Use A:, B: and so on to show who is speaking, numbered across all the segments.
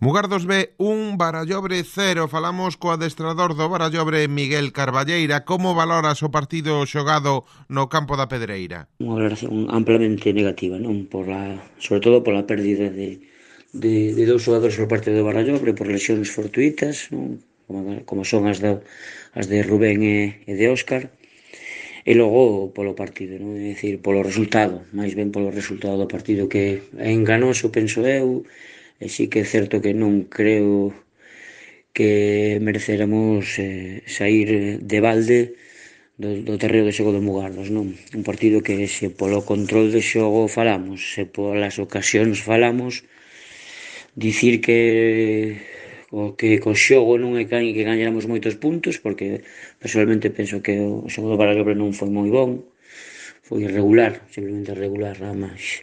A: Mugardos B 1, Barallobre 0. Falamos co adestrador do Barallobre, Miguel Carballeira. Como valoras o partido xogado no campo da Pedreira?
B: Unha valoración amplamente negativa, non? Sobre todo pola pérdida de dous xogadores por parte do Barallobre por lesións fortuitas, non? Como son as de Rubén e de Óscar. E logo polo partido, non? É dicir, polo resultado, máis ben polo resultado do partido, que é enganoso, penso eu, e sí que é certo que non creo que merecéramos sair de balde do terreo de xogo do Mugardos, non? Un partido que se polo control de xogo falamos, se polas ocasións falamos, dicir que co xogo non é que gañáramos moitos puntos, porque personalmente penso que o xogo do Barallobre non foi moi bon, foi irregular, simplemente regular, nada máis.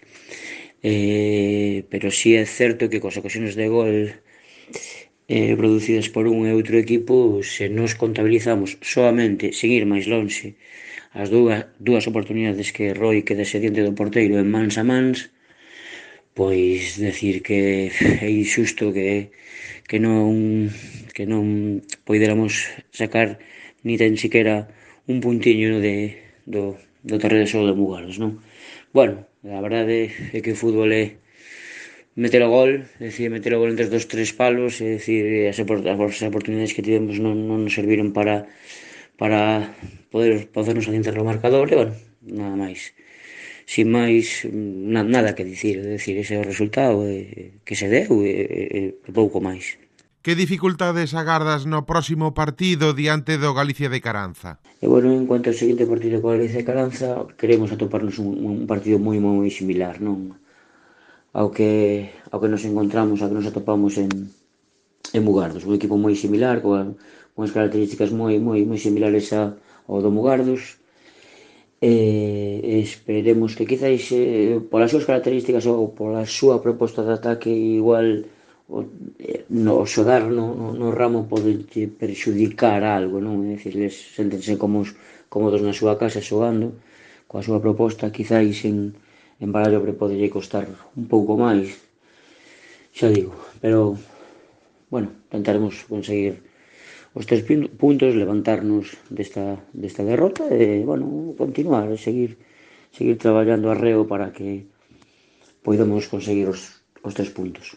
B: Pero sí é certo que coas ocasións de gol producidas por un e outro equipo, se nos contabilizamos soamente, sen ir máis lonxe, as dúas oportunidades que Roi quedase diante do porteiro en mans a mans, pois decir que é injusto que non poidéramos sacar ni tan siquiera un puntiño do terreo de xogo de Mugardos, non? Bueno, a verdade é que o fútbol é meter o gol, meter o gol entre dos tres palos, é dicir, as oportunidades que tivemos non nos serviron para podernos adiantar no marcador, e bueno, nada máis. Sin máis, nada que dicir, é dicir, ese é o resultado que se deu e pouco máis.
A: Que dificultades agardas no próximo partido diante do Galicia de Caranza?
B: E bueno, en cuanto ao seguinte partido co Galicia de Caranza, queremos atoparnos un partido moi similar, non? Ao que nos encontramos, ao que nos atopamos en Mugardos, un equipo moi similar, con unhas características moi similares ao do Mugardos, esperemos que quizáis polas súas características ou pola súa proposta de ataque igual o xogar no ramo pode perxudicar algo, non? É dicir, séntense cómodos na súa casa xogando coa súa proposta, quizáis en Barallobre podelle costar un pouco máis, xa digo, pero bueno, tentaremos conseguir os 3 puntos, levantarnos desta derrota e, bueno, continuar, seguir traballando arreo para que poidamos conseguir os 3 puntos.